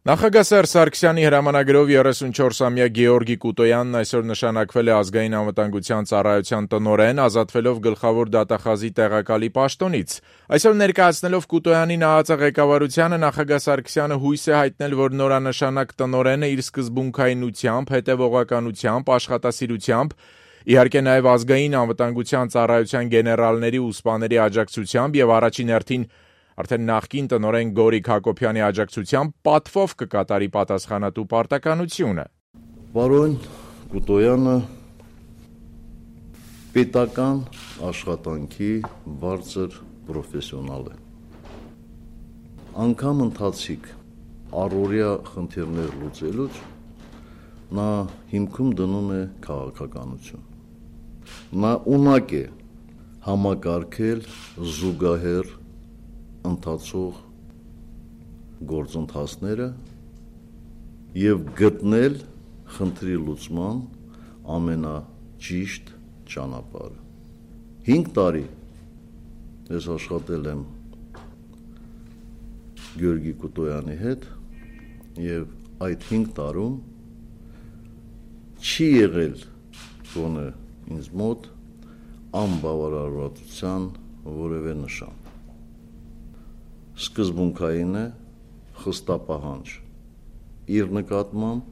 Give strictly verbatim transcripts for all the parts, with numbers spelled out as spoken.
Նախագահ Սերժ Սարգսյանի հրամանագրով երեսունչորսամյա Գեորգի Կուտոյանն այսօր նշանակվել է Ազգային անվտանգության ծառայության տնօրեն, ազատվելով գլխավոր դատախազի տեղակալի պաշտոնից։ Այսօր ներկայացնելով Կուտոյանի նահատակ ղեկավարությանը նախագահ Սարգսյանը հույս է հայտնել, որ նորանշանակ տնօրենը իր սկզբունքայնությամբ, հետևողականությամբ, աշխատասիրությամբ, իհարկե նաև Ազգային անվտանգության ծառայության գեներալների ու սպաների աջակցությամբ եւ առաջին հերթին Արդեն նախկին տնօրեն Գորիկ Հակոբյանի աջակցությամբ պատվով կկատարի պատասխանատու պարտականությունը։ Պարոն Կուտոյանը պետական աշխատանքի բարձր պրոֆեսիոնալ է։ Անգամ ընթացիկ առօրյա խնդիրներ լուծելուց նա հիմքում դնում է քաղաքականություն։ Նա ունակ է համակարգել զուգահեռ ընթացող գործընթացները եւ գտնել խնդրի լուծման ամենաճիշտ ճանապարհը։ հինգ տարի ես աշխատել եմ Գեորգի Կուտոյանի հետ եւ այդ հինգ տարում չի եղել գոնե ինձ մոտ անբավարարվածության որևէ նշան։ Սկզբունքային է, խստապահանջ իր նկատմամբ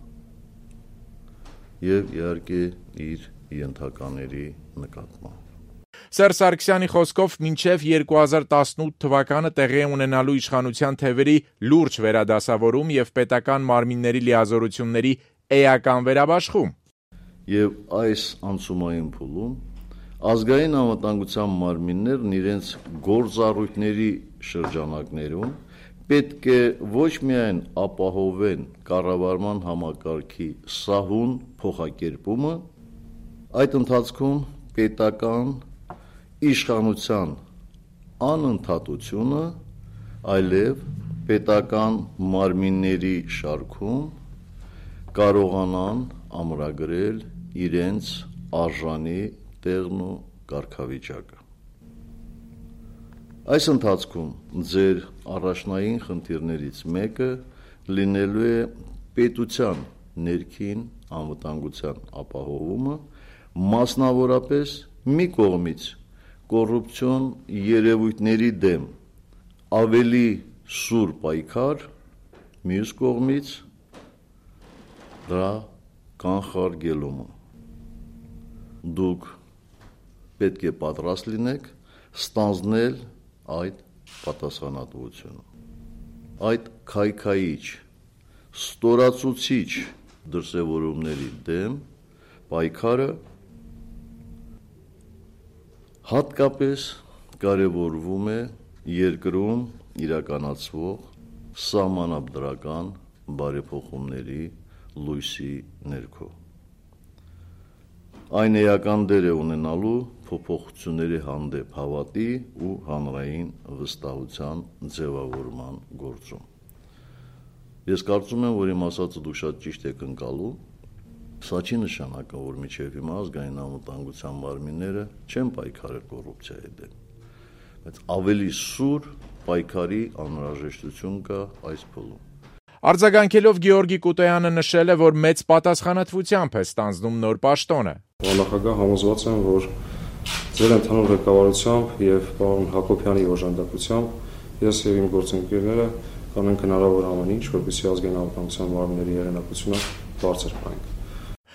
եւ իհարկե իր ենթակաների նկատմամբ։ Սերժ Սարգսյանի խոսքով մինչև երկու հազար տասնութ թվականը տեղի ունենալու իշխանության թևերի լուրջ վերադասավորում եւ պետական մարմինների լիազորությունների էական վերաբաշխում։ Եվ այս անցումային փուլում ազգային անվտանգության մարմիններն իրենց գործառույթների շրջանակներում պետք է ոչ միայն ապահովեն կառավարման համակարգի սահուն փոխակերպումը, այդ ընթացքում պետական իշխանության անընդհատությունը, այլև պետական մարմինների շարքում կարողանան ամրագրել իրենց արժանի տեղն ու կարգավիճակը։ Այս ընթացքում ձեր առաջնային խնդիրներից մեկը լինելու է պետության ներքին անվտանգության ապահովումը, մասնավորապես մի կողմից կոռուպցիոն երևույթների դեմ ավելի սուր պայքար, մյուս կողմից դրա կանխարգելումը։ Դուք պետք է պատրաստ լինեք ստանձնել այդ պատասխանատվությունը։ Այդ քայքայիչ, ստորացուցիչ դրսևորումների դեմ պայքարը հատկապես կարևորվում է երկրում իրականացվող սահմանադրական բարեփոխումների լույսի ներքո։ Այն էական դեր է ունենալու փոփոխությունների հանդեպ հավատի ու հանրային վստահության ձևավորման գործում։ Ես կարծում եմ, որ իմ ասածը դուք շատ ճիշտ եք ընկալում, սա չի նշանակում, որ մինչև հիմա ազգային անվտանգության մարմինները չեն պայքարել կոռուպցիայի դեմ, բայց ավելի սուր պայքարի անհրաժեշտություն կա այս փուլում։ Արձագանքելով Գեորգի Կուտոյանը նշել է, որ մեծ պատասխանատվությամբ է ստանձնում նոր պաշտոնը։ Նախագահ համոզված եմ, որ ձեր ընդհանուր ղեկավարությամբ եւ պարոն Հակոբյանի օժանդակությամբ ես եւ իմ գործընկերները կանենք հնարավոր ամեն ինչ, որպեսզի ազգային անվտանգության մարմինների եղանակությունը բարձր պահենք։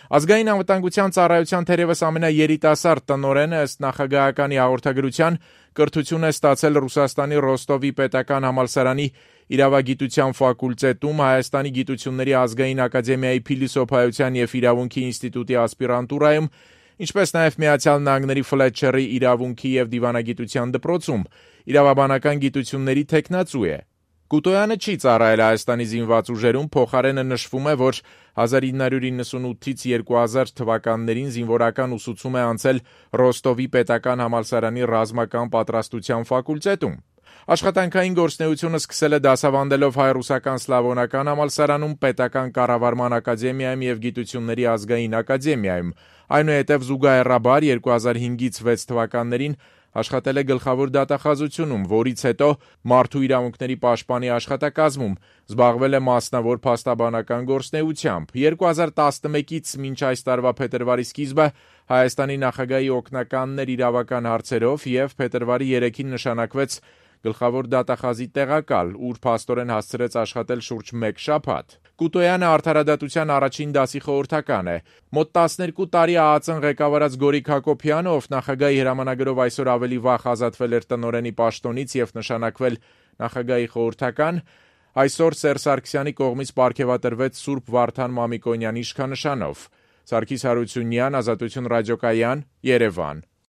Ազգային անվտանգության ծառայության թերևս ամենաերիտասարդ տնօրենը ըստ նախագահականի հաղորդագրության կրթություն է ստացել Ռուսաստանի Ռոստովի պետական համալսարանի իրավագիտության ֆակուլտետում, Հայաստանի գիտությունների ազգային ակադեմիայի փիլիսոփայության եւ իրավունքի ինստիտուտի ասպիրանտուրայում, ինչպես նաև Միացյալ Նահանգների Ֆլետչերի իրավունքի եւ դիվանագիտության դպրոցում, իրավաբանական գիտությունների թեկնածու է։ Կուտոյանը չի ծառայել Հայաստանի զինված ուժերում, փոխարենը նշվում է, որ հազար ինը հարյուր իննսունութից երկու հազար թվականներին զինվորական ուսուցում է անցել Ռոստովի պետական համալսարանի ռազմական պատրաստության ֆակուլտետում։ Աշխատանքային գործունեությունը սկսել է դասավանդելով հայ-ռուսական սլավոնական համալսարանում, պետական կառավարման ակադեմիայում եւ գիտությունների ազգային ակադեմիայում։ Այնուհետև զուգահեռաբար երկու հազար հինգից վեց թվականներին Աշխատել է գլխավոր դատախազությունում, որից հետո մարդու իրավունքների պաշտպանի աշխատակազմում, զբաղվել է մասնավոր փաստաբանական գործունեությամբ։ երկու հազար տասնմեկից մինչ այս տարվա փետրվարի սկիզբը Հայաստանի նախագահի օգնականն էր իրավական հարցերով և փետրվարի երեքին նշանակվեց գլխավոր դատախազի տեղակալ, ուր փաստորեն հասցրեց աշխատել շուրջ մեկ շաբաթ։ Կուտոյանը արդարադատության առաջին դասի խորհրդական է։ Մոտ տասներկու տարի ԱԱԾ-ն ղեկավարած Գորիկ Հակոբյանը, ով նախագահի հրամանագրով այսօր ավելի վաղ ազատվել էր տնօրենի պաշտոնից և նշանակվել նախագահի խորհրդական, այսօր Սերժ Սարգսյանի կողմից պարգևատրվեց Սուրբ Վարդան Մամիկոնյանի իշխանանշանով։ Սարգիս Հարությունյան, Ազատություն ռադիոկայան, Երևան։